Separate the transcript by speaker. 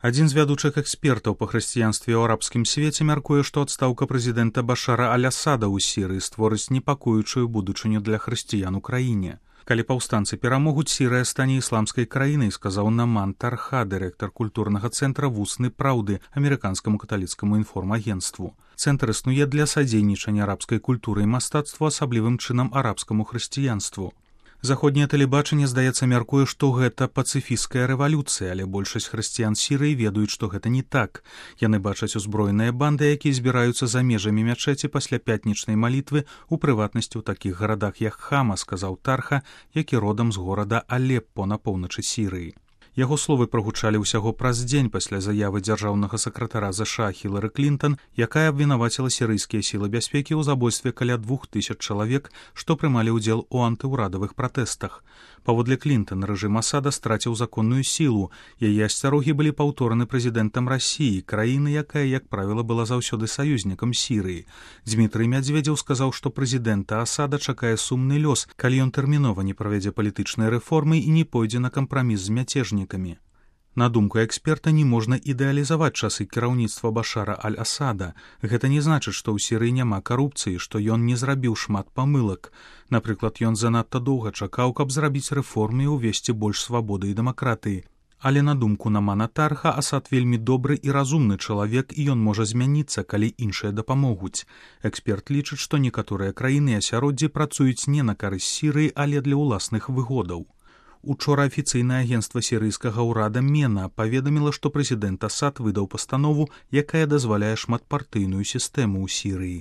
Speaker 1: Адзін з вядучых экспертаў па хрысціянстве ў арабскім свеце мяркуе, што адстаўка прэзідэнта Башара аль-Асада ў Сірыі створыць непакоючую будучыню для хрысціян у краіне. Калі паўстанцы перамогуць, Сірыя стане ісламскай краінай, сказаў Наман Тарха, дырэктар культурнага цэнтра «Вусны праўды» амерыканскаму каталіцкаму інформагенцтву. Цэнтр існуе для садзейнічання арабскай культуры і мастацтву, асаблівым чынам арабскаму хрысціянству. Заходняе тэлебачанне, здаецца, мяркуе, што гэта пацыфісцкая рэвалюцыя, але большасць хрысціян Сірыі ведаюць, што гэта не так. Яны бачаць узброеныя банды, якія збіраюцца за межамі мячэці пасля пятнічнай малітвы, у прыватнасці ў такіх гарадах, як Хама, сказаў Тарха, які родам з горада Алеппо на поўначы Сірыі. Яго словы прагучалі ўсяго праз дзень пасля заявы дзяржаўнага сакратара ЗША Хілары Клінтон, якая абвінаваціла сірыйскія сілы бяспекі ў забойстве каля 2000 чалавек, што прымалі ўдзел у антыўрадавых пратэстах. Паводле Клінтон, рэжым Асада страціў законную сілу. Яе асцярогі былі паўтораны прэзідэнтам Расіі, краіны, якая, як правіла, была заўсёды саюзнікам Сірыі. Дмітрый Мядзведзеў сказаў, што прэзідэнта Асада чакае сумны лёс, калі ён тэрмінова не правядзе палітычныя рэформы і не пойдзе на кампраміс з мяцежнікамі. На думку эксперта, не можна ідэалізаваць часы кіраўніцтва Башара аль-Асада. Гэта не значыць, што ў Сірыі няма карупцыі, што ён не зрабіў шмат памылак. Напрыклад, ён занадта доўга чакаў, каб зрабіць рэформы і ўвесці больш свабоды і дэмакратыі. Але на думку Намана Тарха, Асад вельмі добры і разумны чалавек, і ён можа змяніцца, калі іншыя дапамогуць. Эксперт лічыць, што некаторыя краіны і асяроддзі працуюць не на карысць Сірыі, але для ўласных выгодаў. Учора афіцыйнае агенцтва сірыйскага ўрада МЕНА паведаміла, што прэзідэнт Асад выдаў пастанову, якая дазваляе шматпартыйную сістэму ў Сірыі.